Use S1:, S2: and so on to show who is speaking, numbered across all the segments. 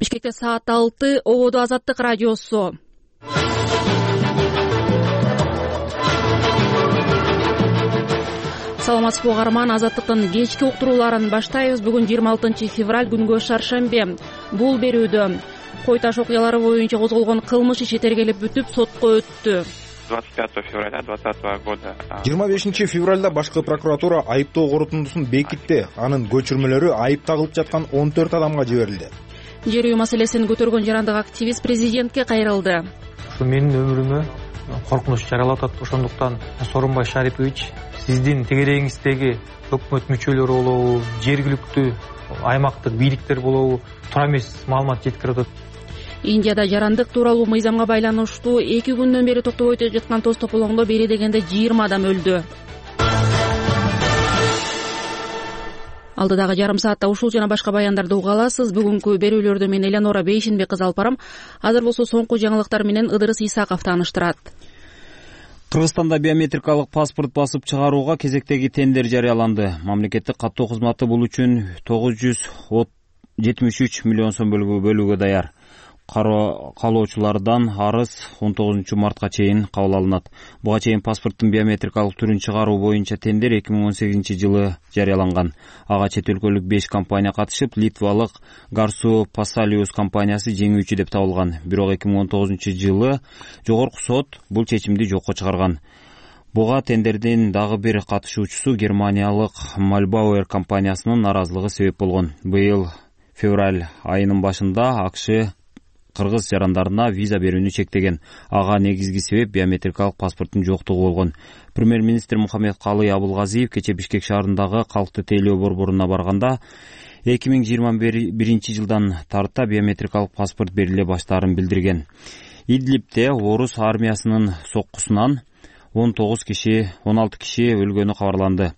S1: Бишкекте саат 6, ободо Азаттык радиосу. Саламатсызбы угарман, Азаттыктын кечки уктурууларын баштайбыз. Бүгүн 26 февраль, күнгө шаршембе. Бул берүүдө Кой Таш окуялары боюнча козголгон кылмыш иши тергелип бүтүп сотко өттү.
S2: 25 февраля 2020 года.
S3: 25 февралда башкы прокуратура айыптоо корутундусун бекитти. Анын көчүрмөлөрү айып тагылып жаткан 14 адамга жиберилди.
S1: Жер үй маселесин көтөргөн жарандык активист президентке кайрылды.
S4: Ушу менин өмүрүмө коркунуч жаралап атат. Ошондуктан Сооронбай Шарипович, сиздин тегерегиңиздеги өкмөт мүчөлөрү болобу, жергиликтүү аймактык бийликтер болобу, туура эмес маалымат жеткирип атат.
S1: Индияда жарандык тууралуу мыйзамга байланыштуу 2 күндөн бери токтобой жаткан тоз тополоңдо бери дегенде 20 адам өлдү. Алдыдагы жарым саатта ушул жана башка баяндарды уга аласыз. Бүгүнкү берүүлөрдү мен Элеонора Бейшинбек кызы алып барам. Азыр болсо соңку жаңылыктар менен Ыдырыс Исаков тааныштырат.
S5: Кыргызстанда биометрикалык паспорт басып чыгарууга кезектеги тендер жарыяланды. Мамлекеттик каттоо кызматы бул үчүн 973 миллион сом бөлүүгө даяр. Каалоочулардан арыз 19 мартка чейин кабыл алынат. Буга чейин паспорттун биометрикалык түрүн чыгаруу боюнча тендер 2018 жылы жарыяланган. Ага чет өлкөлүк 5 компания катышып, литвалык Garsu Pasalius компаниясы жеңүүчү деп табылган. Бирок 2019 жылы жогорку сот бул чечимди жокко чыгарган. Буга тендердин дагы бир катышуучусу Германиялык Malbauer компаниясынын наразылыгы себеп болгон. Быйыл февраль айынын башында АКШ кыргыз жарандарына виза берүүнү чектеген. Ага негизги себеп биометрикалык паспорттун жоктугу болгон. Премьер-министр Мухаммедкалый Абылгазиев кече Бишкек шаарындагы калкты тейлөө борборуна барганда 2021 жылдан тарта биометрикалык паспорт бериле баштаарын билдирген. Идлибте орус армиясынын соккусунан 16 киши өлгөнү кабарланды.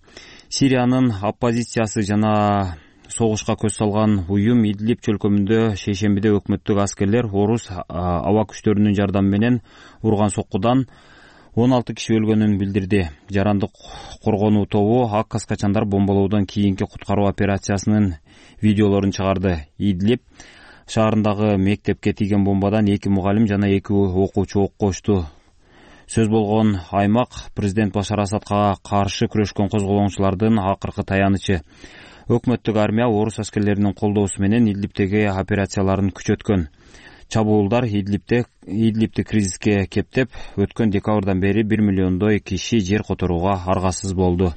S5: Сириянын оппозициясы жана согушка көз салган уюм Идлиб чөлкөмүндө шейшембиде өкмөттүк аскерлер орус аба күчтөрүнүн жардамы менен урган соккудан 16 киши өлгөнүн билдирди. Жарандык коргонуу тобу ак каскачандар бомбалоодон кийинки куткаруу операциясынын видеолорун чыгарды. Идлиб шаарындагы мектепке тийген бомбадан 2 мугалим жана 2 окуучу окко очту. Сөз болгон аймак президент Башар Асадка каршы күрөшкөн козголоңчулардын акыркы таянычы. Өкмөттүк армия орус аскерлеринин колдоосу менен Идлибтеги операцияларын күчөткөн. Чабуулдар Идлибти кризиске кептеп, өткөн декабрдан бери 1 миллиондой киши жер которууга аргасыз болду.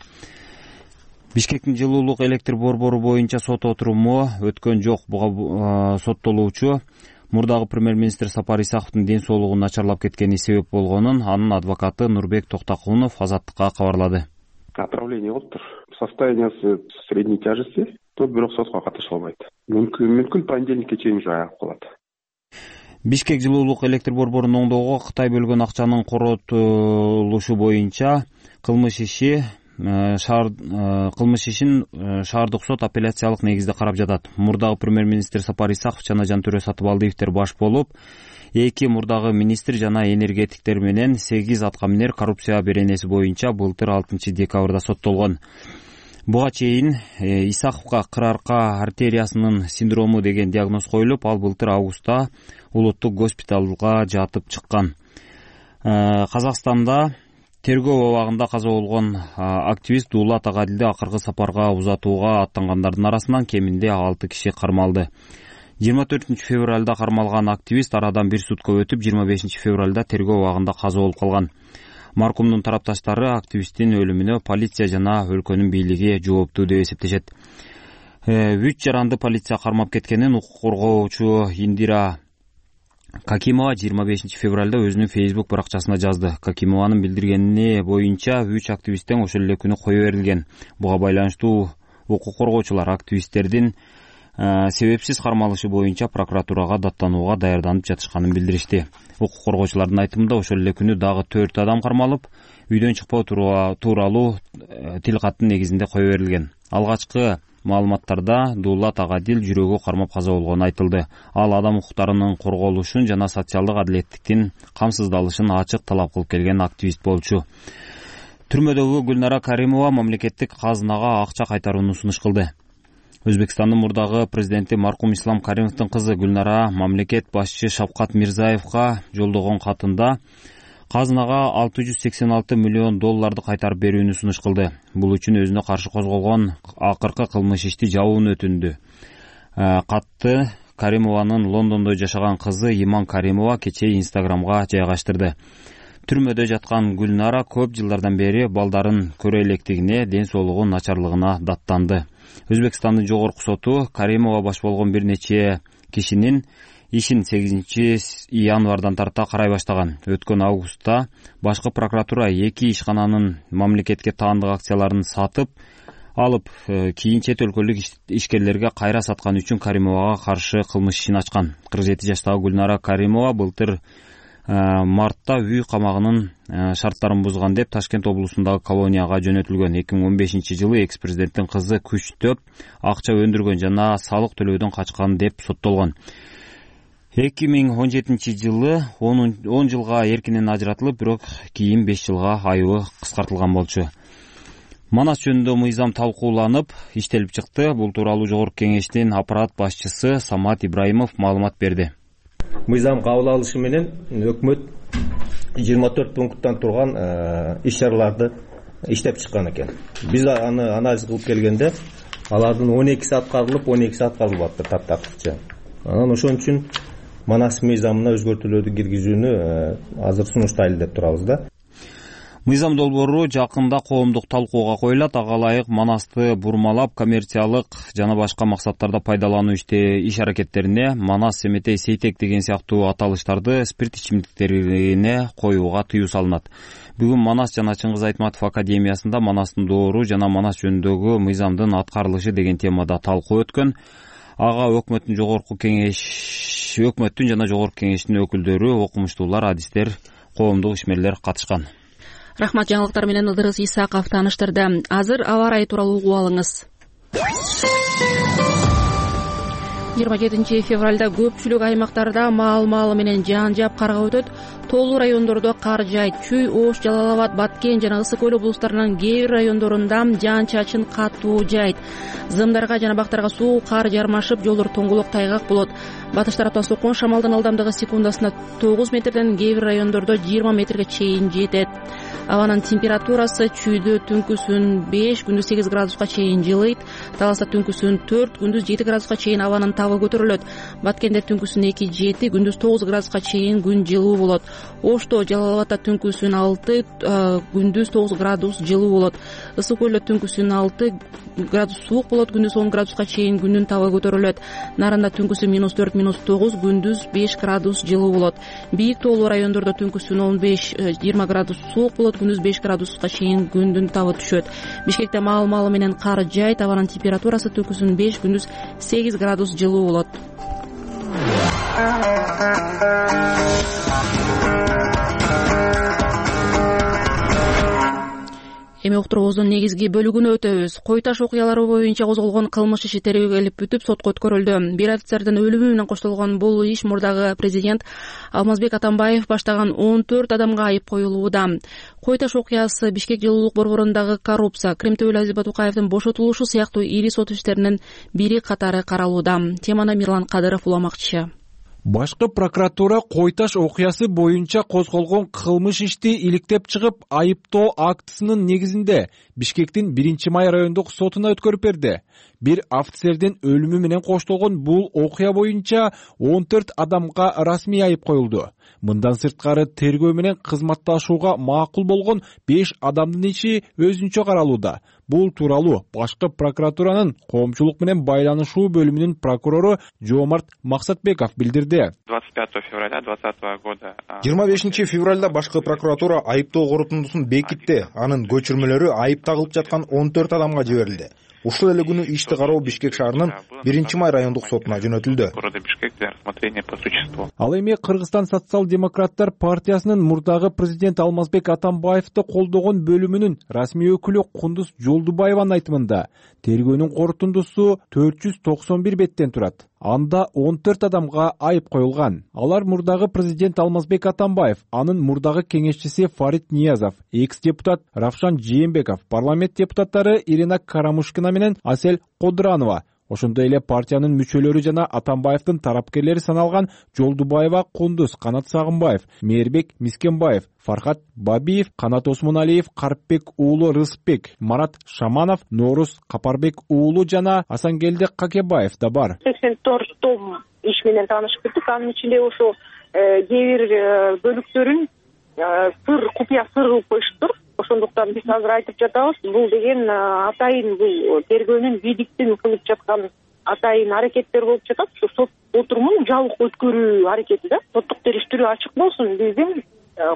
S5: Бишкектин жылуулук электр борбору боюнча сот отуруму өткөн жок. Буга соттолуучу мурдагы премьер-министр Сапар Исаковдун ден соолугунун начарлап кеткени себеп болгонун анын адвокаты Нурбек Токтакунов Азаттыкка кабарлады.
S6: Отравление болуптур. Состояниясы средней тяжести, то бирок сотко катыша албайт. Мүмкүн понедельникке чейин уже аягып калат.
S5: Бишкек жылуулук электр борборун оңдоого Кытай бөлгөн акчанын коротулушу боюнча кылмыш ишин шаардык сот апелляциялык негизде карап жатат. Мурдагы премьер-министр Сапар Исаков жана Жантөре Сатыбалдиевдер баш болуп, 2 мурдагы министр жана энергетиктер менен 8 аткаминер коррупция беренеси боюнча былтыр 6 декабрда соттолгон. Буга чейин Исаковго кыр арка артериясынын синдрому деген диагноз коюлуп, ал былтыр августта улуттук госпиталга жатып чыккан. Казакстанда тергөө абагында каза болгон активист Дулат Агадилди акыркы сапарга узатууга аттангандардын арасынан кеминде 6 киши кармалды. 24 февралда кармалган активист арадан 1 сутка өтүп 25 февралда тергөө абагында каза болуп калган. Маркумдун тарапташтары активисттин өлүмүнө полиция жана өлкөнүн бийлиги жооптуу деп эсептешет. 3 жаранды полиция кармап кеткенин укук коргоочу Индира Какимова 25 февралда өзүнүн Facebook баракчасына жазды. Какимованын билдиргени боюнча 3 активисттен ошол эле күнү кое берилген. Буга байланыштуу укук коргоочулар активисттердин себепсиз кармалышы боюнча прокуратурага даттанууга даярданып жатышканын билдиришти. Укук коргоочулардын айтымында ошол эле күнү дагы 4 адам кармалып, үйдөн чыкпоо тууралуу тил каттын негизинде кое берилген. Алгачкы маалыматтарда Дулат Агадил жүрөгү кармап каза болгону айтылды. Ал адам укуктарынын корголушун жана социалдык адилеттиктин камсыздалышын ачык талап кылып келген активист болчу. Түрмөдөгү Гүлнара Каримова мамлекеттик казынага акча кайтарууну сунуш кылды. Өзбекстандын мурдагы президенти маркум Ислам Каримовдун кызы Гүлнара мамлекет башчы Шавкат Мирзаевга жолдогон катында казынага $686 миллион кайтарып берүүнү сунуш кылды. Бул үчүн өзүнө каршы козголгон акыркы кылмыш ишти жабууну өтүндү. Катты Каримованын Лондондо жашаган кызы Иман Каримова кечээ Инстаграмга жайгаштырды. Түрмөдө жаткан Гүлнара көп жылдардан бери балдарын көрө электигине, ден соолугу начарлыгына даттанды. Өзбекстандын жогорку соту Каримова баш болгон бир нече кишинин ишин 8 январдан тарта карай баштаган. Өткөн августта башкы прокуратура 2 ишкананын мамлекетке таандык акцияларын сатып алып, кийин чет өлкөлүк ишкерлерге кайра саткан үчүн Каримовага каршы кылмыш ишин ачкан. 47 жаштагы Гүлнара Каримова былтыр мартта үй камагынын шарттарын бузган деп Ташкент облусундагы колонияга жөнөтүлгөн. 2015 жылы экс-президенттин кызы күчтөп акча өндүргөн жана салык төлөөдөн качкан деп соттолгон. 2017 жылы 10 жылга эркинен ажыратылып, бирок кийин 5 жылга айыбы кыскартылган болчу. Манас жөнүндө мыйзам талкууланып, иштелип чыкты. Бул тууралуу Жогорку кеңештин аппарат башчысы Самат Ибраимов маалымат берди.
S7: Мыйзам кабыл алышы менен өкмөт 24 пункттан турган иш-чараларды иштеп чыккан экен. Биз аны анализ кылып келгенде, алардын 12си аткарылып, 12си аткарылбаптыр таптакырча. Анан ошон үчүн Манас мыйзамына өзгөртүүлөрдү киргизүүнү азыр сунуштайлы деп турабыз да.
S5: Мыйзам долбоору жакында коомдук талкууга коюлат. Ага ылайык Манасты бурмалап, коммерциялык жана башка максаттарда пайдалануу иш аракеттерине Манас, Семетей, Сейтек деген сыяктуу аталыштарды спирт ичимдиктерине коюуга тыюу салынат. Бүгүн Манас жана Чыңгыз Айтматов академиясында Манастын доору жана Манас жөнүндөгү мыйзамдын аткарылышы деген темада талкуу өткөн. Ага өкмөттүн жана Жогорку кеңештин өкүлдөрү, окумуштуулар, адистер, коомдук ишмерлер катышкан.
S1: Рахмат, жаңылыктар менен Ыдырыс Исаков тааныштырды. Азыр аба ырайы тууралуу угуп алыңыз. 27 февралда көпчүлүк аймактарда маал менен жаан-жаап карга өтөт. Тоолуу райондордо кар жайт. Чүй, Ош, Жалал-Абад, Баткен жана Ысык көл облустарынын кээ бир райондорунда жаан-чачын катуу жайт. Зымдарга жана бактарга суу, кар жармашып, жолдор тоңголок, тайгак болот. Батыш тараптан соккон шамалдын ылдамдыгы секундасына 9 метрден, кээ бир райондордо 20 метрге чейин жетет. Абанын температурасы чүйдө түнкүсүн 5, күндүз 8 градуска чейин жылыйт. Таласта түнкүсүн 4, күндүз 7 градуска чейин абанын табы көтөрүлөт. Баткенде түнкүсүн 2-7, күндүз 9 градуска чейин күн жылуу болот. Ошто, Жалал-Абадта түнкүсүн 6, күндүз 9 градус жылуу болот. Ысык көлдө түнкүсүн 6 градус суук болот, күндүз 10 градуска чейин күндүн табы көтөрүлөт. Нарында түнкүсүн -4, -9, күндүз 5 градус жылуу болот. Бийик тоолуу райондордо түнкүсүн 15-20 градус суук болот, күндүз 5 градуска чейин күндүн табы түшөт. Бишкекте маал менен кар жайт. Абанын температурасы түнкүсүн 5, күндүз 8 градус жылуу болот. Эми уктуруубуздун негизги бөлүгүнө өтөбүз. Кой Таш окуялары боюнча козголгон кылмыш иши тергөөлүп бүтүп, сотко өткөрүлдү. Бир офицердин өлүмү менен коштолгон бул иш мурдагы президент Алмазбек Атамбаев баштаган 14 адамга айып коюлууда. Кой Таш окуясы Бишкек жылуулук борборундагы коррупция, Кремтөбөл Азиз Батукаевдин бошотулушу сыяктуу ири сот иштеринин бири катары каралууда. Теманы Мирлан Кадыров уламакчы.
S8: Башкы прокуратура Кой Таш окуясы боюнча козголгон кылмыш ишти иликтеп чыгып, айыптоо актысынын негизинде Бишкектин 1-Май райондук сотуна өткөрүп берди. Бир офицердин өлүмү менен коштолгон бул окуя боюнча 14 адамга расмий айып коюлду. Мындан сырткары тергөө менен кызматташууга макул болгон 5 адамдын иши өзүнчө каралууда. Бул тууралуу башкы прокуратуранын коомчулук менен байланышуу бөлүмүнүн прокурору Жоомарт Максатбеков билдирди.
S2: 25 февраля 2020 года
S3: 25 февралда башкы прокуратура айыптоо корутундусун бекитти. Анын көчүрмөлөрү айып тагылып жаткан 14 адамга жиберилди. Ушул эле күнү ишти кароо Бишкек шаарынын 1-Май райондук сотуна жөнөтүлдү.
S8: Ал эми Кыргызстан социал-демократтар партиясынын мурдагы президент Алмазбек Атамбаевди колдогон бөлүмүнүн расмий өкүлү Кундуз Жолдубаеванын айтымында тергөөнүн корутундусу 491 беттен турат. Анда 14 адамга айып коюлган. Алар мурдагы президент Алмазбек Атамбаев, анын мурдагы кеңешчиси Фарид Ниязов, экс-депутат Равшан Жээнбеков, парламент депутаттары Ирина Карамушкина менен Асель Кодранова, Ошондой эле партиянын мүчөлөрү жана Атамбаевдин тарапкерлери саналган Жолдубаева Кундуз, Канат Сагынбаев, Мээрбек Мискенбаев, Фархат Бабиев, Канат Осмоналиев, Карпбек уулу Рыспек, Марат Шаманов, Норуз Капарбек уулу жана Асангелди Какебаев да бар.
S9: 84 том иш менен таанышып кеттик. Анын ичинде ошо кээ бир бөлүктөрүн купуя сыр кылып коюшуптур. Ошондуктан биз азыр айтып жатабыз, бул деген атайын бул тергөөнүн бийликтин кылып жаткан атайын аракеттер болуп жатат. Сот отурумун жабык өткөрүү аракети да. Соттук териштирүү ачык болсун, биздин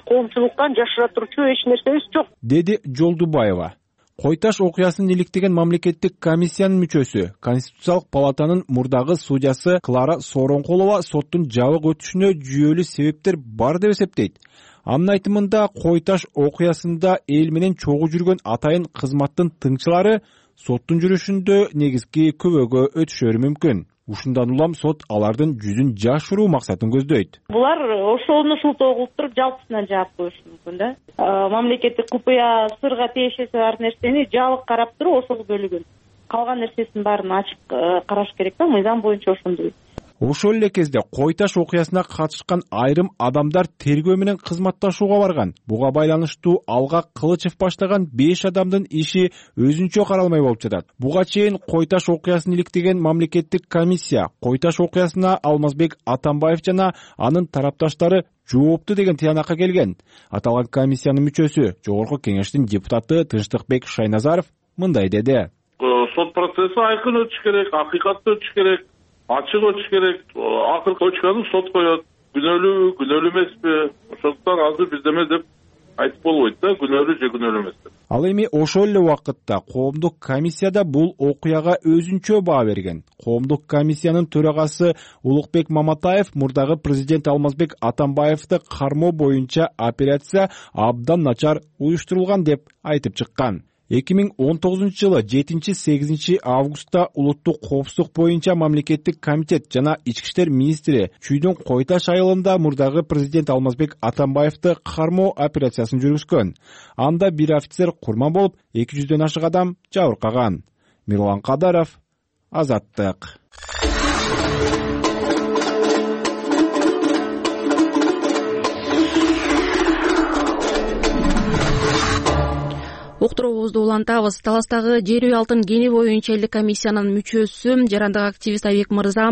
S9: коомчулуктан жашыра турчу эч нерсебиз жок, деди
S8: Жолдубаева. Кой таш окуясын иликтеген мамлекеттик комиссиянын мүчөсү, Конституциялык палатанын мурдагы судьясы Клара Сооронкулова соттун жабык өтүшүнө жүйөлүү себептер бар деп эсептейт. Анын айтымында кой таш окуясында эл менен чогуу жүргөн атайын кызматтын тыңчылары соттун жүрүшүндө негизги күбөгө өтүшөрү мүмкүн. Ушундан улам сот алардын жүзүн жашыруу максатын көздөйт.
S9: Булар ошону шылтоо кылып туруп жалпысынан жаап коюшу мүмкүн да. Мамлекеттик купуя сырга тиешеси бар нерсени жабык карап туруп ошол бөлүгүн. Калган нерсесин баарын ачык караш керек да, мыйзам боюнча ошондой.
S8: Ошол эле кезде кой таш окуясына катышкан айрым адамдар тергөө менен кызматташууга барган. Буга байланыштуу Алга Кылычев баштаган 5 адамдын иши өзүнчө каралмай болуп жатат. Буга чейин кой таш окуясын иликтеген мамлекеттик комиссия кой таш окуясына Алмазбек Атамбаев жана анын тарапташтары жоопту деген тыянакка келген. Аталган комиссиянын мүчөсү, Жогорку Кеңештин депутаты Тынчтыкбек Шайназаров мындай деди.
S10: Сот процесси айкын өтүш керек, акыйкаттуу өтүш керек. Ачык өтүш керек. Акыркы очканы сот коет. Күнөөлүү эмеспи? Ошондуктан азыр биздеме деп айтып болбойт да, күнөөлүү же күнөөлүү эмес деп.
S8: Ал эми ошол эле убакытта коомдук комиссияда бул окуяга өзүнчө баа берген. Коомдук комиссиянын төрагасы Улукбек Маматаев мурдагы президент Алмазбек Атамбаевди кармоо боюнча операция абдан начар уюштурулган деп айтып чыккан. 2019 жылы 7-8 августта улуттук коопсуздук боюнча мамлекеттик комитет жана ички иштер министри Чүйдүн Кой таш айылында мурдагы президент Алмазбек Атамбаевди кармоо операциясын жүргүзгөн. Анда бир офицер курман болуп, 200дөн ашык адам жабыркаган. Мирлан Кадаров, Азаттык.
S1: Уктуруубузду улантабыз. Таластагы жер үй алтын кени боюнча элдик комиссиянын мүчөсү, жарандык активист Айбек Мырза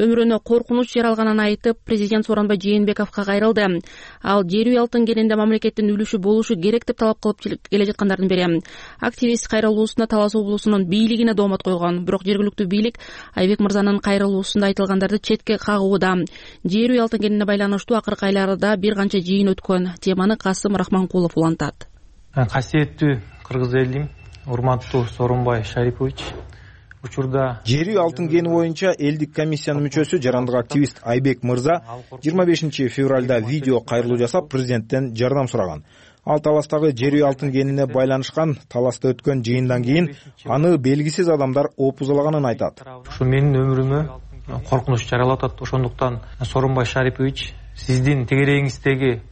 S1: өмүрүнө коркунуч жаралганын айтып, президент Сооронбай Жээнбековго кайрылды. Ал жер үй алтын кенинде мамлекеттин үлүшү болушу керек деп талап кылып келе жаткандардын бири. Активист кайрылуусунда Талас облусунун бийлигине доомат койгон. Бирок жергиликтүү бийлик Айбек Мырзанын кайрылуусунда айтылгандарды четке кагууда. Жер үй алтын кенине байланыштуу акыркы айларда бир канча жыйын өткөн. Теманы Касым Рахманкулов улантат.
S4: Касиеттүү кыргыз элим, урматтуу Сооронбай Шарипович, учурда
S3: жер үй алтын кени боюнча элдик комиссиянын мүчөсү, жарандык активист Айбек Мырза 25 февралда видео кайрылуу жасап, президенттен жардам сураган. Ал Таластагы жер үй алтын кенине байланышкан Таласта өткөн жыйындан кийин аны белгисиз адамдар опузалаганын айтат.
S4: Ушу менин өмүрүмө коркунуч жаралап атат. Ошондуктан Сооронбай Шарипович, сиздин тегерегиңиздеги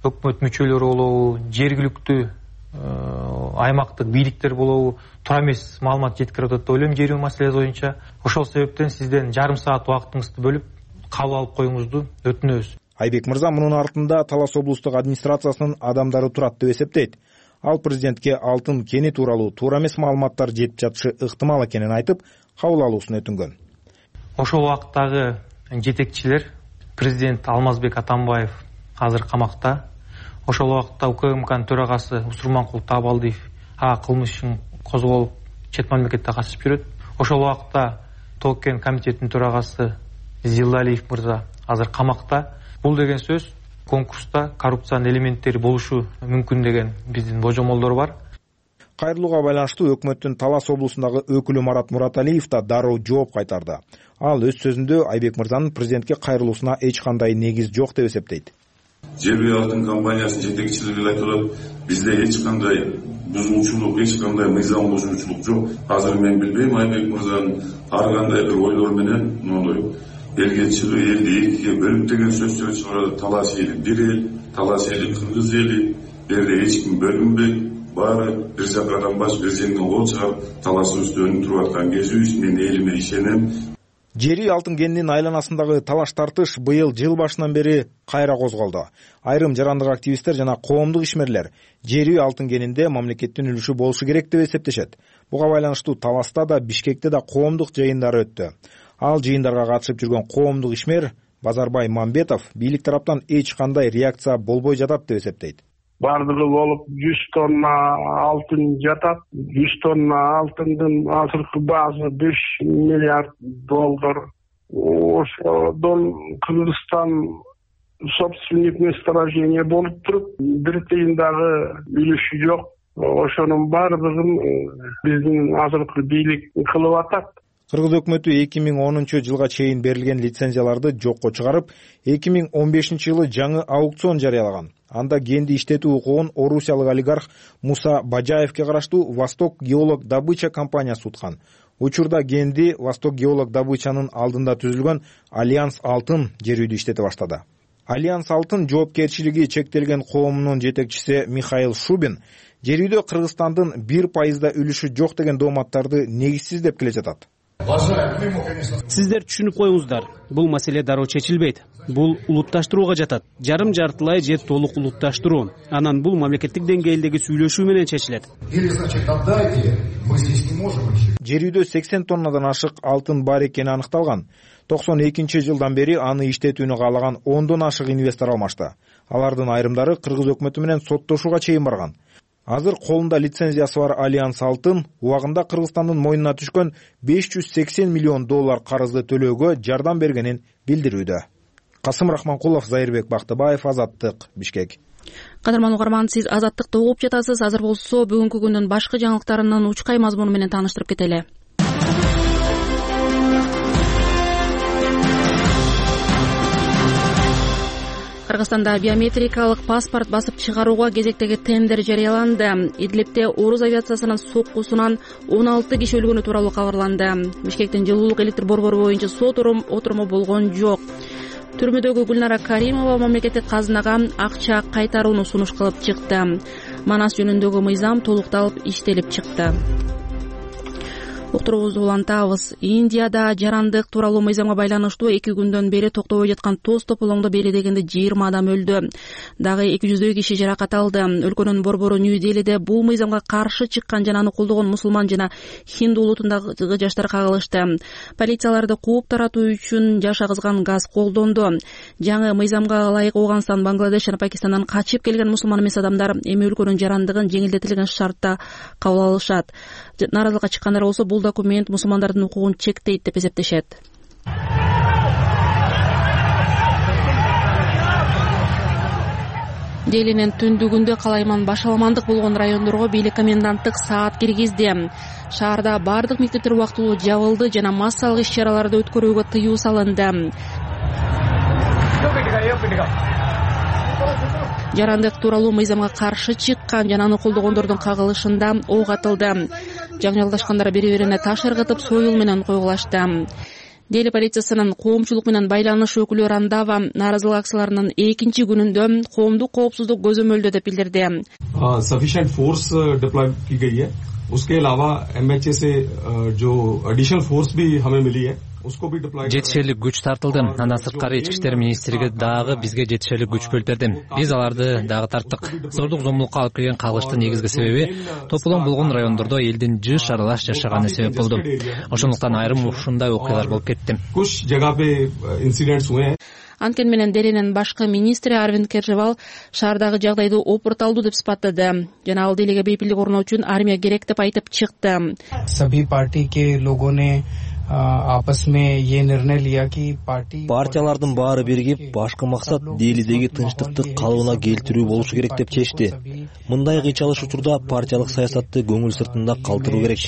S4: өкмөт мүчөлөрү болобу, жергиликтүү аймактык бийликтер болобу, туура эмес маалымат жеткирип атат деп ойлойм жер үй маселеси боюнча. Ошол себептен сизден жарым саат убактыңызды бөлүп кабыл алып коюңузду өтүнөбүз.
S3: Айбек Мырза мунун артында Талас облустук администрациясынын адамдары турат деп эсептейт. Ал президентке алтын кени тууралуу туура эмес маалыматтар жетип жатышы ыктымал экенин айтып, кабыл алуусун өтүнгөн.
S4: Ошол убактагы жетекчилер, президент Алмазбек Атамбаев азыр камакта. Ошол убакта УКМКнын төрагасы Усурманкул Табалдиев кылмыштын козголуп чет мамлекетте катышып жүрөт. Ошол убакта Токен комитетинин төрагасы Зилдалиев мырза азыр камакта. Бул деген сөз конкурста коррупциянын элементтери болушу мүмкүн деген биздин божомолдор бар.
S3: Кайрылууга байланыштуу өкмөттүн Талас облусундагы өкүлү Марат Мураталиев да дароо жооп кайтарды. Ал өз сөзүндө Айбек Мырзанын президентке кайрылуусуна эч кандай негиз жок деп эсептейт.
S11: Жер үй алтын компаниясынын жетекчилиги айтылат, бизде эч кандай бузуучулук, эч кандай мыйзам бузуучулук жок. Азыр мен билбейм, Айбек Мырзанын ар кандай бир ойлор менен мондой элге чыгып, элди экиге бөлүп деген сөздөр чыгарат. Талас эли бир эл, Талас эли кыргыз эли, жерде эч ким бөлүнбөйт. баары бир жака адамбаш бир жеңден кол чыгарып талашуу үстөнүн туруп аткан кезибиз. Мен элиме ишенем.
S3: Жери алтын кенинин айланасындагы талаш тартыш быйыл жыл башынан бери кайра козголду. Айрым жарандык активисттер жана коомдук ишмерлер жери алтын кенинде мамлекеттин үлүшү болушу керек деп эсептешет. Буга байланыштуу Таласта да, Бишкекте да коомдук жыйындар өттү. Ал жыйындарга катышып жүргөн коомдук ишмер Базарбай Мамбетов бийлик тараптан эч кандай реакция болбой жатат деп эсептейт.
S12: Бардыгы болуп 100 тонна алтын жатат. 100 тонна алтындын азыркы баасы $5 миллиард. Ошодон Кыргызстан собственник месторождения болуп туруп, бир тыйын дагы үлүшү жок. Ошонун бардыгын биздин азыркы бийлик кылып атат.
S3: Кыргыз өкмөтү 2010 жылга чейин берилген лицензияларды жокко чыгарып, 2015 жылы жаңы аукцион жарыялаган. Анда кенди иштетүү укугун орусиялык олигарх Муса Бажаевке караштуу Восток геолог добыча компаниясы уткан. Учурда кенди Восток геолог добычанын алдында түзүлгөн Альянс Алтын жерүйдү иштете баштады. Альянс Алтын жоопкерчилиги чектелген коомунун жетекчиси Михаил Шубин жерүйдө Кыргызстандын 1% үлүшү жок деген дооматтарды негизсиз деп келе жатат.
S13: Сиздер түшүнүп коюңуздар, бул маселе дароо чечилбейт. Бул улутташтырууга жатат. Жарым жартылай же толук улутташтыруу. Анан бул мамлекеттик деңгээлдеги сүйлөшүү менен чечилет.
S3: Жерүйдө 80 тоннадан ашык алтын бар экени аныкталган. 92 жылдан бери аны иштетүүнү каалаган 10дон ашык инвестор алмашты. Алардын айрымдары Кыргыз өкмөтү менен соттошууга чейин барган. Азыр колунда лицензиясы бар Альянс Алтын убагында Кыргызстандын мойнуна түшкөн $580 миллион карызды төлөөгө жардам бергенин билдирүүдө. Касым Рахманкулов, Зайырбек Бактыбаев, Азаттык, Бишкек.
S1: Кадырман угарман, сиз Азаттыкты угуп жатасыз. Азыр болсо бүгүнкү күндүн башкы жаңылыктарынын учкай мазмуну менен тааныштырып кетели. Кыргызстанда биометрикалык паспорт басып чыгарууга кезектеги тендер жарыяланды. Идлибде Орус авиациясынын соккусунан 16 киши өлгөнү тууралуу кабарланды. Бишкектин жылуулук электр борбору боюнча сот отуруму болгон жок. Түрмөдөгү Гүлнара Каримова мамлекеттик казынага акча кайтарууну сунуш кылып чыкты. Манас жөнүндөгү мыйзам толукталып иштелип чыкты. Уктуруубузду улантабыз. Индияда жарандык тууралуу мыйзамга байланыштуу 2 күндөн бери токтобой жаткан тоз тополоңду бери дегенде 20 адам өлдү. Дагы 200 киши жаракат алды. Өлкөнүн борбору Нью-Делиде бул мыйзамга каршы чыккан жана аны колдогон мусулман жана хинду улутундагы жаштар кагылышты. Полицияларды кууп таратуу үчүн жаш агызган газ колдонду. Жаңы мыйзамга ылайык Афганистан, Бангладеш жана Пакистандан качып келген мусулман эмес адамдар эми өлкөнүн жарандыгын жеңилдетилген шартта кабыл алышат. Нааразылыкка чыккандар болсо бул документ мусулмандардын укугун чектейт деп эсептешет. Делинин түндүгүндө калайман башаламандык болгон райондорго бийлик коменданттык саат киргизди. Шаарда бардык мектептер убактылуу жабылды жана массалык иш-чараларды өткөрүүгө тыюу салынды. Жарандык тууралуу мыйзамга каршы чыккан жана аны колдогондордун кагылышында ок атылды. Жаңылдашкандар бири-бирине таш ыргытып, союл менен койгулашты. Дели полициясынын коомчулук менен байланыш өкүлү Рандава нааразылык акцияларынын 2-чи күнүндө коомдук коопсуздук көзөмөлдөө деп билдирди.
S14: Sufficient force deploy की गई है. उसके अलावा MHA से जो additional force भी हमें मिली है.
S15: Жетишерлик күч тартылды. Андан сырткары ички иштер министрлиги дагы бизге жетишерлик күч бөлүп берди. Биз аларды дагы тарттык. Зордук зомбулукка алып келген кагылыштын негизги себеби тополоң болгон райондордо элдин жыш аралаш жашаганы себеп болду. Ошондуктан айрым ушундай окуялар болуп кетти.
S14: Куч жага пе инцидентс हुए.
S1: Анткени менен Делинин башкы министри Арвинд Кежривал шаардагы жагдайды опурталдуу деп сыпаттады. Жана ал Делиге бейпилдик орноо үчүн армия керек деп айтып чыкты.
S16: Саби парти ке логоне
S17: Партиялардын баары биригип, башкы максат Делидеги тынчтыкты калыбына келтирүү болушу керек деп чечти. Мындай кыйчалыш учурда партиялык саясатты көңүл сыртында калтыруу керек.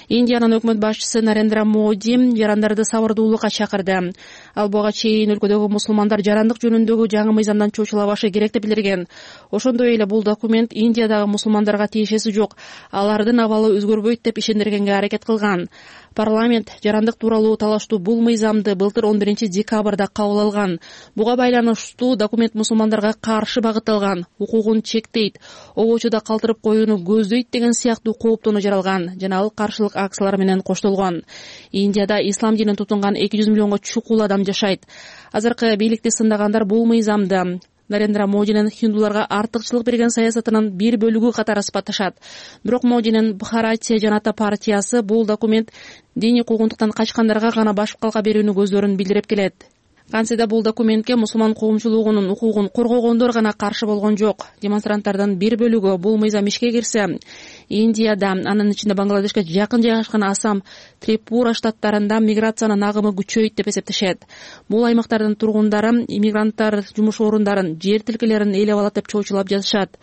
S1: Индиянын өкмөт башчысы Нарендра Моди жарандарды сабырдуулукка чакырды. Ал буга чейин өлкөдөгү мусулмандар жарандык жөнүндөгү жаңы мыйзамдан чочулабашы керек деп билдирген. Ошондой эле бул документ Индиядагы мусулмандарга тиешеси жок. Алардын абалы өзгөрбөйт деп ишендиргенге аракет кылган. Парламент жарандык тууралуу талаштуу бул мыйзамды былтыр 11 декабрда кабыл алган. Буга байланыштуу документ мусулмандарга каршы багытталган, укугун чектейт, обочуда калтырып коюуну көздөйт деген сыяктуу кооптонуу жаралган жана ал каршылык акциялар менен коштолгон. Индияда ислам динин тутунган 200 миллионго чукул адам жашайт. Азыркы бийликти сындагандар бул мыйзамды Нарендра Модинин хиндуларга артыкчылык берген саясатынын бир бөлүгү катары сыпатташат. Бирок Модинин Бхаратия Жаната партиясы бул документ диний куугунтуктан качкандарга гана башып калка берүүнү көздөрүн билдирип келет. Кантсе да бул документке мусулман коомчулугунун укугун коргогондор гана каршы болгон жок. Демонстранттардын бир бөлүгү бул мыйзам ишке кирсе, Индияда, анын ичинде Бангладешке жакын жайгашкан Асам, Трипура штаттарында миграциянын агымы күчөйт деп эсептешет. Бул аймактардын тургундары иммигранттар жумуш орундарын, жер тилкелерин ээлеп алат деп чоочулап жатышат.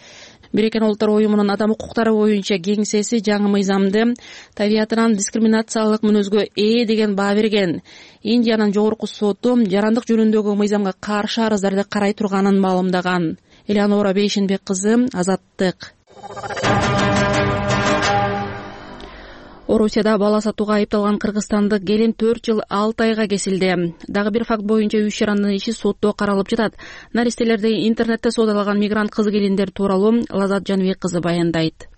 S1: Бириккен Улуттар уюмунун адам укуктары боюнча кеңсеси жаңы мыйзамды табиятынан дискриминациялык мүнөзгө деген баа берген. Индиянын жогорку соту жарандык жөнүндөгү мыйзамга каршы арыздарды карай турганын маалымдаган. Элеонора Бейшенбек кызы, Азаттык. Орусияда бала сатууга айыпталган кыргызстандык келин 4 жыл 6 айга кесилди. Дагы бир факт боюнча 3 жарандын иши сотто каралып жатат. Наристелерди интернетте соодалаган мигрант кыз келиндер тууралуу Лазат Жаныбек кызы баяндайт.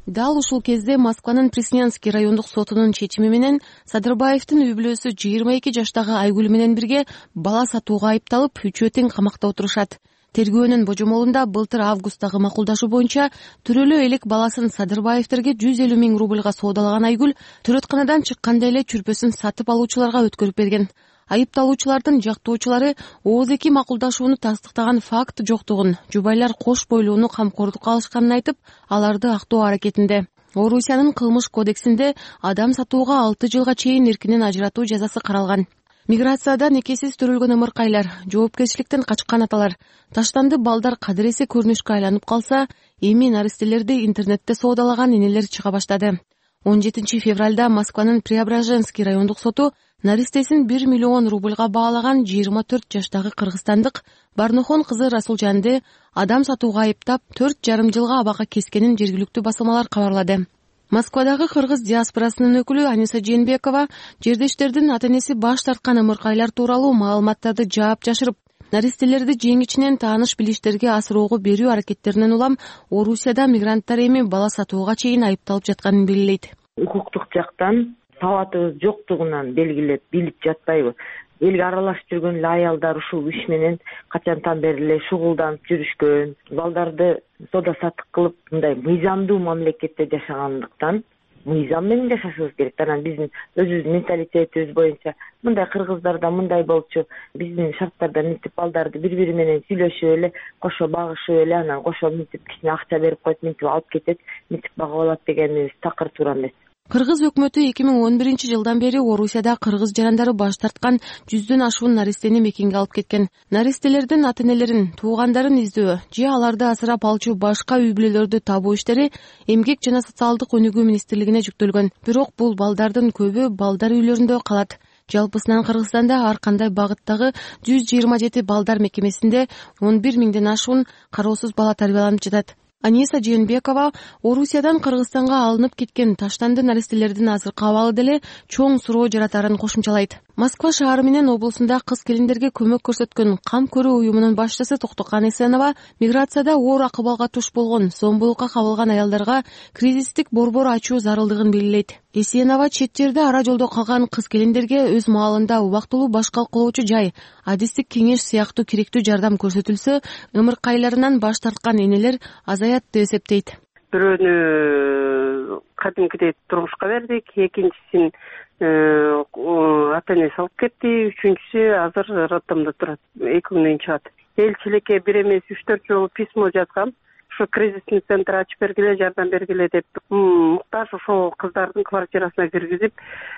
S18: Дал ушул кезде Москванын Пресненский райондук сотунун чечими менен Садырбаевдин үй бүлөсү 22 жаштагы Айгүл менен бирге бала сатууга айыпталып, үчөө тең камакта отурушат. Тергөөнүн божомолунда былтыр августтагы макулдашуу боюнча төрөлөө элек баласын Садырбаевтерге 150 000 рубльга соодалаган Айгүл төрөтканадан чыкканда эле чүрпөсүн сатып алуучуларга өткөрүп берген. Айыпталуучулардын жактоочулары ооздеги макулдашууну тастыктаган факт жоктугун, жубайлар кош бойлууну камкордукка алышканын айтып, аларды актоо аракетинде. Орусиянын кылмыш кодексинде адам сатууга 6 жылга чейин эркинен ажыратуу жазасы каралган. Миграцияда некесиз төрөлгөн ымыркайлар, жоопкерчиликтен качкан аталар, таштанды балдар кадыресе көрүнүшкө айланып калса, эми наристелерди интернетте соодалаган энелер чыга баштады. 17 февралда Москванын Преображенский райондук соту наристесин 1 миллион рубльга баалаган 24 жаштагы кыргызстандык Барнохон кызы Расулжанды адам сатууга айыптап 4,5 жылга абакка кескенин жергиликтүү басылмалар кабарлады. Москвадагы кыргыз диаспорасынын өкүлү Аниса Жээнбекова жердештердин ата-энеси баш тарткан ымыркайлар тууралуу маалыматтарды жаап жашырып, наристелерди жеңичинен тааныш билиштерге асыроого берүү аракеттеринен улам Орусияда мигранттар эми бала сатууга чейин айыпталып жатканын белгилейт.
S19: Укуктук жактан сабатыбыз жоктугунан белгилеп билип жатпайбы. Элге аралашып жүргөн эле аялдар ушул иш менен качантан бери эле шугулданып жүрүшкөн, балдарды соода саттык кылып, мындай мыйзамдуу мамлекетте жашагандыктан мыйзам менен жашашыбыз керек. Анан биздин өзүбүздүн менталитетибиз боюнча мындай кыргыздарда мындай болчу, биздин шарттарда мынтип балдарды бири-бири менен сүйлөшүп эле, кошо багышып эле, анан кошо мынтип кичине акча берип коет, мынтип алып кетет, мынтип багып алат дегенибиз такыр туура эмес.
S18: Кыргыз өкмөтү 2011 жылдан бери Орусияда кыргыз жарандары баш тарткан 100дөн ашуун наристени мекенге алып кеткен. Наристелердин ата-энелерин, туугандарын издөө же аларды асырап алчу башка үй бүлөлөрдү табуу иштери Эмгек жана социалдык өнүгүү министрлигине жүктөлгөн. Бирок бул балдардын көбү балдар үйлөрүндө калат. Жалпысынан Кыргызстанда ар кандай багыттагы 127 балдар мекемесинде 11 000ден ашуун кароосуз бала тарбияланып жатат. Аниса Жээнбекова Орусиядан Кыргызстанга алынып кеткен таштанды наристелердин азыркы абалы деле чоң суроо жаратарын кошумчалайт. Москва шаары менен облусунда кыз келиндерге көмөк көрсөткөн Кам көрүү уюмунун башчысы Токтокан Эсенова миграцияда оор акыбалга туш болгон, зомбулукка кабылган аялдарга кризистик борбор ачуу зарылдыгын белгилейт. Эсенова чет жерде ара жолдо калган кыз келиндерге өз маалында убактылуу баш калкалоочу жай, адистик кеңеш сыяктуу керектүү жардам көрсөтүлсө, ымыркайларынан баш тарткан энелер азаят деп эсептейт.
S20: Бирөөнү кадимкидей турмушка бердик, экинчисин ата-энеси алып кетти, үчүнчүсү азыр роддомдо турат, 2 күндөн чыгат. Элчиликке бир эмес 3-4 жолу письмо жазгам. Ушу кризисный центр ачып бергиле, жардам бергиле деп. Муктаж ошол кыздардын квартирасына киргизип,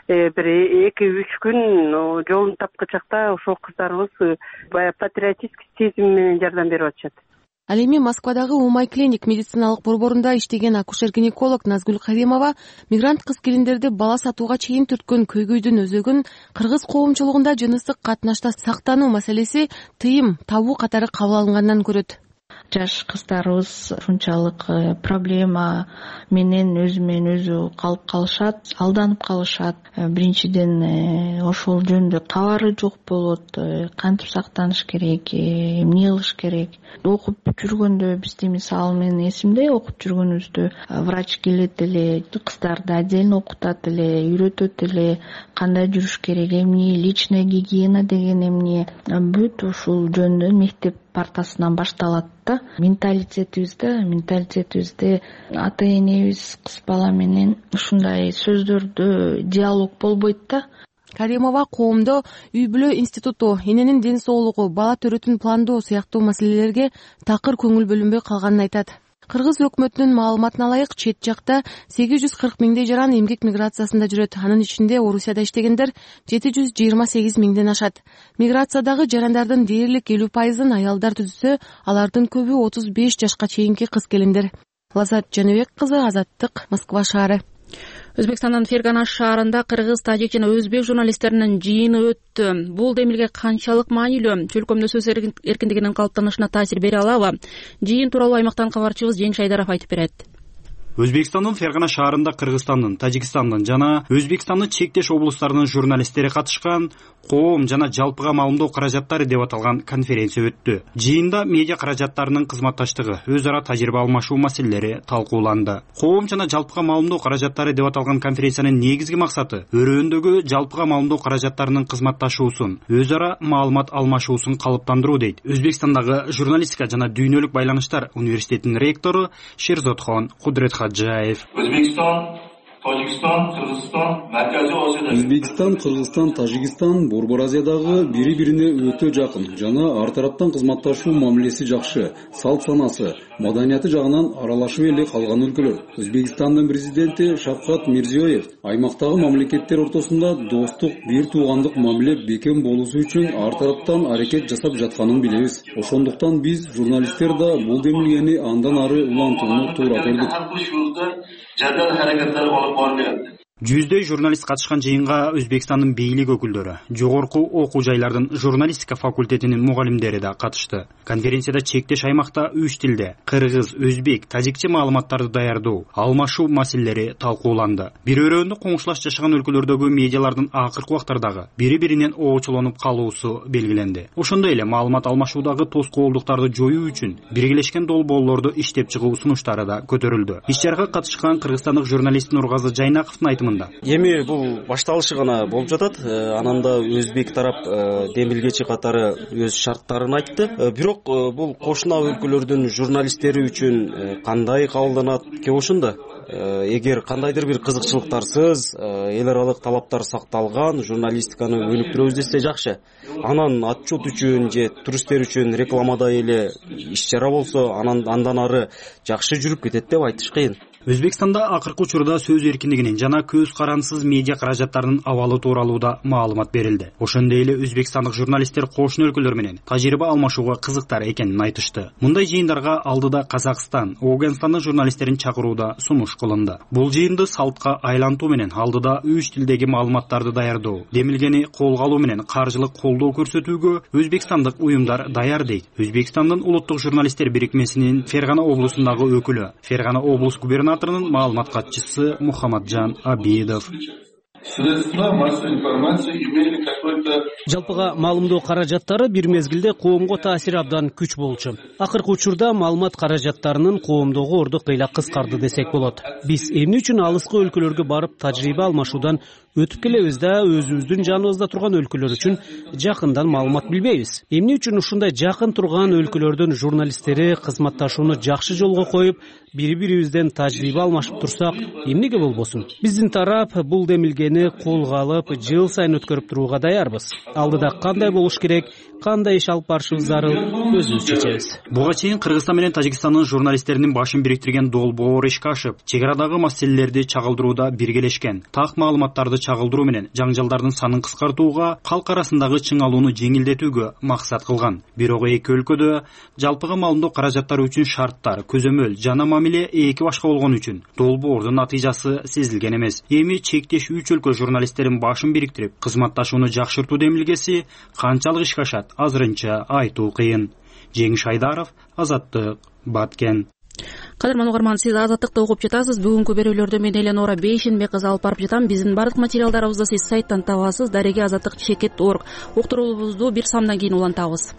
S20: бир 2-3 күн жолун тапкычакта ошол кыздарыбыз баягы патриотический сезим менен жардам берип атышат.
S18: Ал эми Москвадагы Умай клиник медициналык борборунда иштеген акушер-гинеколог Назгүл Каримова мигрант кыз келиндерди бала сатууга чейин түрткөн көйгөйдүн өзөгүн кыргыз коомчулугунда жыныстык катнашта сактануу маселеси тыйым табуу катары кабыл алынгандан көрөт.
S21: жаш кыздарыбыз ушунчалык проблема менен өзү калып калышат, алданып калышат. Биринчиден ошол жөнүндө кабары жок болот. Кантип сактаныш керек, эмне кылыш керек. Окуп жүргөндө бизде мисалы мен эсимде, окуп жүргөнүбүздө врач келет эле, кыздарды отдельно окутат эле, үйрөтөт эле кандай жүрүш керек, эмне личная гигиена деген эмне. Бүт ушул жөнүндө мектеп партасынан башталат да. Менталитетибизде ата энебиз кыз бала менен ушундай сөздөрдө диалог болбойт да.
S18: Каримова коомдо үй бүлө институту, эненин ден соолугу, бала төрөтүн пландоо сыяктуу маселелерге такыр көңүл бөлүнбөй калганын айтат. Кыргыз өкмөтүнүн маалыматына ылайык, чет жакта 840 миңдей жаран эмгек миграциясында жүрөт. Анын ичинде Орусияда иштегендер 728 миңден ашат. Миграциядагы жарандардын дээрлик 50%-ын аялдар түзсө, алардын көбү 35 жашка чейинки кыз келиндер. Лазат Жаныбек кызы, Азаттык, Москва шаары.
S1: Өзбекстандын Фергана шаарында кыргыз, тажик жана өзбек журналисттеринин жыйыны өттү. Бул демилге канчалык маанилүү? Чөлкөмдө сөз эркиндигинин калыптанышына таасир бере алабы? Жыйын тууралуу аймактан кабарчыбыз Жеңиш Айдаров айтып берет.
S22: Өзбекстандын Фергана шаарында Кыргызстандын, Тажикстандын жана Өзбекстандын чектеш облустарынын журналисттери катышкан коом жана жалпыга маалымдоо каражаттары деп аталган конференция өттү. Жыйында медиа каражаттарынын кызматташтыгы, өз ара тажрыйба алмашуу маселелери талкууланды. Коом жана жалпыга маалымдоо каражаттары деп аталган конференциянын негизги максаты өрөөндөгү жалпыга маалымдоо каражаттарынын кызматташуусун, өз ара маалымат алмашуусун калыптандыруу дейт Өзбекстандагы журналистика жана дүйнөлүк байланыштар университетинин ректору Шерзотхон Кудретхаджаев.
S23: Өзбекстан, Кыргызстан, Тажикстан Борбор Азиядагы бири-бирине өтө жакын жана ар тараптан кызматташуу мамилеси жакшы, салт санасы, маданияты жагынан аралашып эле калган өлкөлөр. Өзбекстандын президенти Шавкат Мирзиёев аймактагы мамлекеттер ортосунда достук, бир туугандык мамиле бекем болуусу үчүн ар тараптан аракет жасап жатканын билебиз. Ошондуктан биз журналисттер да бул демилгени андан ары улантууну туура көрдүк.
S22: Жүздөй журналист катышкан жыйынга Өзбекстандын бийлик өкүлдөрү, жогорку окуу жайлардын журналистика факультетинин мугалимдери да катышты. Конференцияда чектеш аймакта 3 тилде кыргыз, өзбек, тажикче маалыматтарды даярдоо, алмашуу маселелери талкууланды. Бир өрөөндө коңшулаш жашаган өлкөлөрдөгү медиалардын акыркы убактардагы бири-биринен оочулонуп калуусу белгиленди. Ошондой эле маалымат алмашуудагы тоскоолдуктарды жоюу үчүн биргелешкен долбоорлорду иштеп чыгуу сунуштары да көтөрүлдү. Иш-чарага катышкан кыргызстандык журналист Нургазы Жайнаковдун айтымында
S24: эми бул башталышы гана болуп жатат. Анан да өзбек тарап демилгечи катары өз шарттарын айтты. Бирок бул кошуна өлкөлөрдүн журналисттери үчүн кандай кабылданат? Ke ошондо эгер кандайдыр бир кызыкчылыктарсыз эл аралык талаптар сакталган журналистиканы өнүктүрөбүз десе жакшы. Анан отчет үчүн же туристтер үчүн рекламада эле иш-чара болсо, андан ары жакшы жүрүп кетет деп айтыш кыйын.
S22: Өзбекстанда акыркы учурда сөз эркиндигинин жана көз карансыз медиа каражаттарынын абалы тууралуу да маалымат берилди. Ошондой эле өзбекстандык журналисттер кошуна өлкөлөр менен тажрыйба алмашууга кызыктар экенин айтышты. Мындай жыйындарга алдыда Казакстан, Ауганстандын журналисттерин чакырууда сунуш кылынды. Бул жыйынды салтка айлантуу менен алдыда 3 тилдеги маалыматтарды даярдоо, демилгени колго алуу менен каржылык колдоо көрсөтүүгө өзбекстандык уюмдар даяр дейт. Өзбекстандын улуттук журналисттер бирикмесинин Фергана облусундагы өкүлү, Фергана облус губернаторунун маалымат катчысы Мухаммаджан Абидов.
S13: Жалпыга маалымдоо каражаттары бир мезгилде коомго таасири абдан күч болчу. Акыркы учурда маалымат каражаттарынын коомдогу орду кыйла кыскарды десек болот. Биз эмне үчүн алыскы өлкөлөргө барып тажрыйба алмашуудан өтүп келебиз да өзүбүздүн жаныбызда турган өлкөлөр үчүн жакындан маалымат билбейбиз? Эмне үчүн ушундай жакын турган өлкөлөрдүн журналисттери кызматташууну жакшы жолго коюп, бири-бирибизден тажрыйба алмашып турсак, эмнеге болбосун? Биздин тарап бул демилгени колго алып, жыл сайын өткөрүп турууга даярбыз. Алдыда кандай болуш керек, кандай иш алып барышыбыз зарыл, өзүбүз чечебиз.
S22: Буга чейин Кыргызстан менен Тажикстандын журналисттеринин башын бириктирген долбоор ишке ашып, чек арадагы маселелерди чагылдырууда биргелешкен, так маалыматтарды чагылдыруу менен жаңжалдардын санын кыскартууга, калк арасындагы чыңалууну жеңилдетүүгө максат кылган. Бирок эки өлкөдө жалпыга маалымдоо каражаттары үчүн шарттар, көзөмөл жана мамиле эки башка болгон үчүн долбоордун натыйжасы сезилген эмес. Эми чектеш үч өлкө журналисттерин башын бириктирип, кызматташууну жакшыртуу демилгеси канчалык ишке ашат азырынча айтуу кыйын. Жеңиш Айдаров, Азаттык, Баткен.
S1: Кадырман угарман, сиз Азаттыкты угуп жатасыз. Бүгүнкү берүүлөрдү мен Эленора Бейшенбек кызы алып барып жатам. Биздин бардык материалдарыбызды сиз сайттан табасыз. Дареге Азаттык Чекет.org. Уктурууларыбызды бир самдан кийин улантабыз.